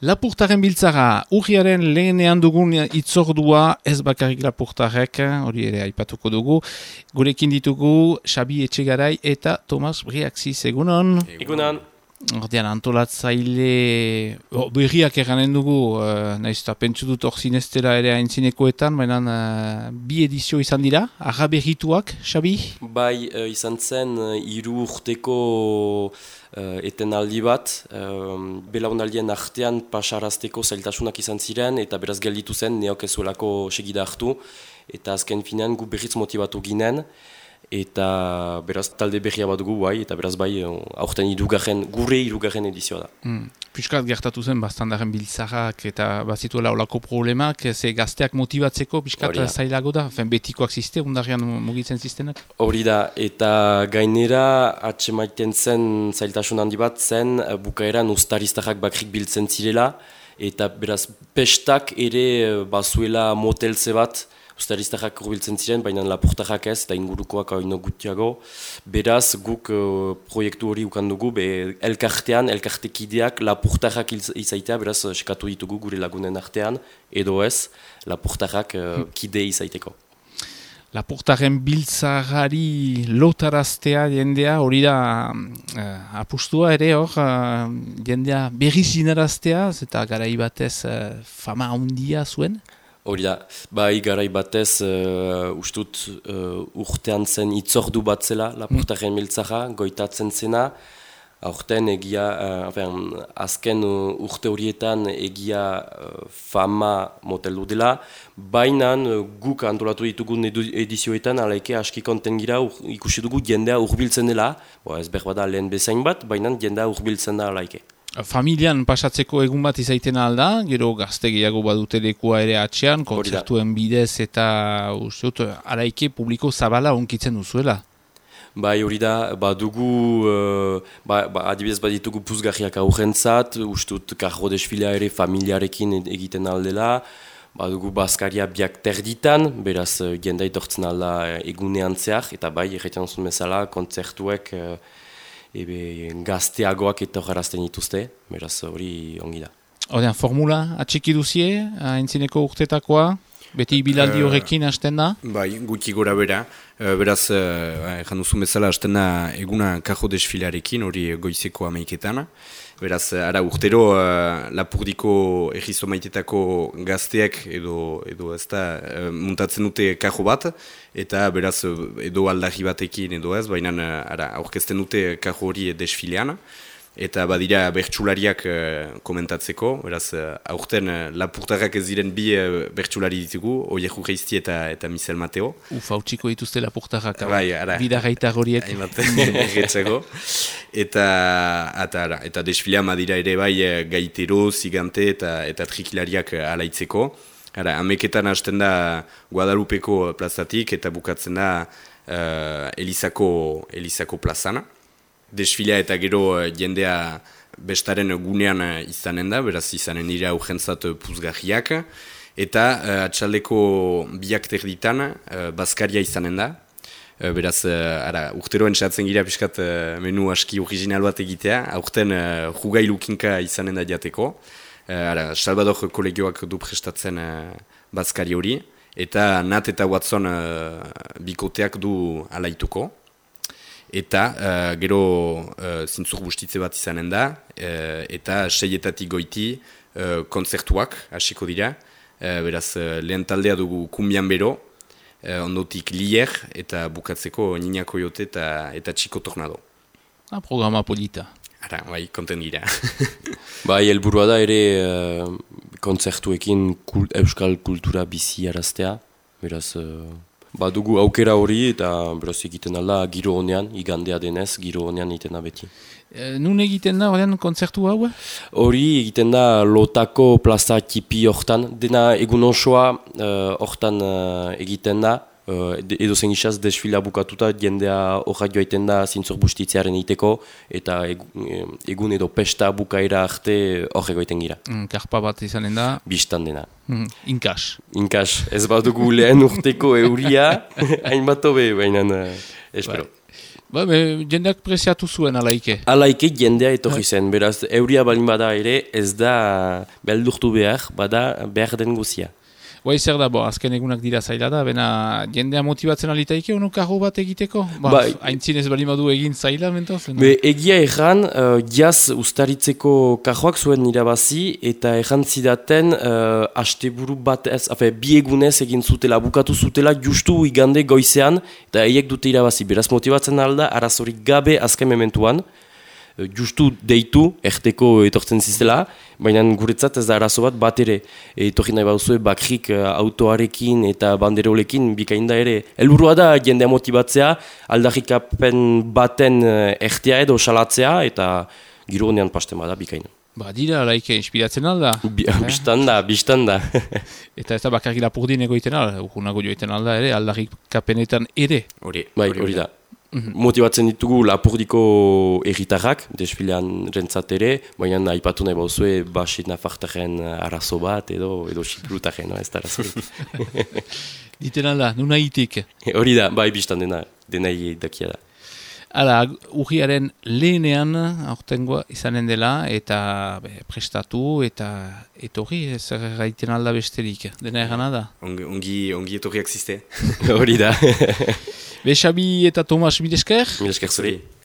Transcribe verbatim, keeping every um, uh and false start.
Lapurtaren biltzara, urriaren lehenean dugun itzordua, ez bakarrik lapurtarek, hori ere aipatuko dugu. Gurekin ditugu Xabi Etxegarai eta Tomas Briaxis, egunon. Egunon. Ordean, antolatzaile oh, berriak eranen dugu, uh, nahiz eta pentsu dut hor zineztela ere aintzinekoetan, baina uh, bi edizio izan dira, arra berrituak, Xabi? Bai, uh, izan zen, uh, hiru urteko uh, etenaldi bat, uh, belaunaldien artean pasarazteko zailtasunak izan ziren, eta beraz gelditu zen, neok ezuelako segida hartu, eta azken finean gu berriz motibatu ginen, eta beraz talde berria bat dugu bai, eta beraz bai aurten irugarren, gure irugarren edizioa da. Mm. Piskat gertatu zen, bastandaren biltzarrak eta bazituela olako problemak, ze gazteak motibatzeko piskat zailago da, fen betikoak ziste, undarrian mugitzen ziztenak? Hori da, eta gainera atsemaiten zen zailtasun handi bat zen, bukaeran ustaristarrak bakrik biltzen zirela, eta beraz pestak ere bazuela motelze bat, ustaristarrak urbiltzen ziren, baina lapurtarrak ez, eta ingurukoak haino gutiago. Beraz, guk uh, proiektu hori ukandugu, be elkartean, elkartekideak lapurtarrak izaitea, beraz, eskatu ditugu gure lagunen artean, edo ez, lapurtarrak uh, kide izaiteko. Lapurtaren biltzarari lotaraztea jendea, hori da uh, apustua ere hor, uh, jendea berriz zinaraztea, eta garai batez uh, fama handia zuen? Hori da, bai garai batez uh, ustut uh, urtean zen itzordu bat zela lapurtaren biltzara, goitatzen zena, aurten egia, uh, enfin, azken uh, urte horietan egia uh, fama moteldu dela, baina uh, guk antolatu ditugun edizioetan alaike aski konten gira ur, ikusi dugu jendea urbiltzen dela, bo, ez behar bada lehen bezain bat, baina jendea urbiltzen da alaike. Familian pasatzeko egun bat izaiten alda, gero gazte gehiago badute lekua ere atxean, kontzertuen bidez eta usteut, araike publiko zabala onkitzen duzuela. Bai, hori da, badugu, uh, ba, ba, adibidez baditugu puzgarriak aurrentzat, ustut karro desfilea ere familiarekin egiten aldela, badugu bazkaria biak terditan, beraz jendea etortzen alda egunean zehar, eta bai, erretan zuen bezala, kontzertuek uh, ebe gazteagoak eta horrazten dituzte, beraz hori ongi da. Horrean, formula atxiki duzie, haintzineko urtetakoa, beti bilaldi horrekin hasten da? Bai, guti gora bera, uh, beraz, ezan duzun bezala hasten da eguna kajo desfilarekin, hori goizeko amaiketan. Beraz, ara urtero uh, Lapurdiko egizo maitetako gazteak edo, edo ez da uh, muntatzen dute kajo bat, eta beraz edo aldarri batekin edo ez, baina ara aurkezten dute kajo hori desfilean. Eta badira bertsulariak uh, komentatzeko, beraz uh, aurten uh, lapurtarrak ez diren bi uh, bertsulari ditugu, Oieju Geizti eta, eta Michel Mateo. Uf, hau txiko dituzte lapurtarrak, bai, bidarraitar horiek. Erretzeko. eta, eta, eta desfilea madira ere bai gaitero, zigante eta, eta trikilariak alaitzeko. Ara, ameketan hasten da Guadalupeko plazatik eta bukatzen da uh, Elizako, Elizako plazana. Desfilea eta gero jendea bestaren gunean izanen da, beraz izanen dira urgentzat puzgarriak. Eta uh, atxaldeko biak terditan uh, bazkaria izanen da. Uh, beraz, uh, ara, urteroen txatzen gira piskat uh, menu aski original bat egitea. Aurten uh, jugailukinka izanen da jateko. Uh, ara, Salvador kolegioak du prestatzen uh, bazkari hori. Eta Nat eta Watson uh, bikoteak du alaituko. Eta uh, gero uh, zintzur bustitze bat izanen da, uh, eta seietatik goiti uh, kontzertuak hasiko dira. Uh, beraz, uh, lehen taldea dugu Kumbian Bero, uh, ondotik Lier, eta bukatzeko Nina Koyote eta, eta Chico Tornado. Ah, programa polita. Ara, bai, konten gira. Bai, helburua da ere uh, kontzertuekin kul, euskal kultura bizi araztea, beraz... Uh... Badugu aukera hori eta beraz egiten alda giro honean, igandea denez, giro honean egiten da beti. E, nun egiten da horrean kontzertu hau? Hori egiten da Lotako plaza tipi hortan, dena egun osoa hortan uh, egiten da, uh, edo zen gizaz desfila bukatuta, jendea horra joaiten da zintzor bustitzearen egiteko, eta egun edo pesta bukaera arte horrego egiten gira. Mm, karpa bat izanen da? Bistan dena. Mm, inkas. Inkas, ez bat dugu lehen urteko euria, hainbat hobe, baina uh, espero. Ba, be, jendeak preziatu zuen alaike. Alaike jendea etorri zen, beraz, euria balin bada ere, ez da beldurtu behar, bada behar den guzia. Bai, zer da, bo, azken egunak dira zaila da, bena jendea motibatzen alitaike, ono karro bat egiteko? Ba, bai. Haintzinez bali badu egin zaila, mentoz? Be, egia erran, uh, jaz ustaritzeko karroak zuen irabazi, eta erran zidaten, uh, asteburu bat ez, afe, bi egunez egin zutela, bukatu zutela, justu igande goizean, eta eiek dute irabazi. Beraz motibatzen alda, arazorik gabe azken mementuan, justu deitu, erteko etortzen zizela, baina guretzat ez da arazo bat bat ere. Etorri nahi bauzue bakrik autoarekin eta banderolekin bikainda ere. Helburua da jendea motibatzea, aldarrikapen baten ertea edo salatzea eta giro honean pasten bada bikaina. Ba, dira, laike, inspiratzen alda. Bi, eh? Bistan da, bistan da. Eta ez da bakarri lapurdin egoiten alda, urgunago joiten alda ere, aldarrikapenetan ere. Hori, bai, hori da. Motibatzen ditugu lapurdiko erritarrak, desfilean rentzat ere, baina aipatu nahi bauzue basit nafartaren arazo bat edo edo xipirutaren, no? Ez da arazorik. Diten alda, nuna hitik. Hori da, bai biztan dena, dena dakia da. Hala, urriaren lehenean aurtengoa izanen dela eta be, prestatu eta etorri, zer gaiten alda besterik, dena erana da. Ongi, ongi, ongi etorriak ziste. Hori da. Be, Xabi eta Tomas, mil esker? Mil esker zuri.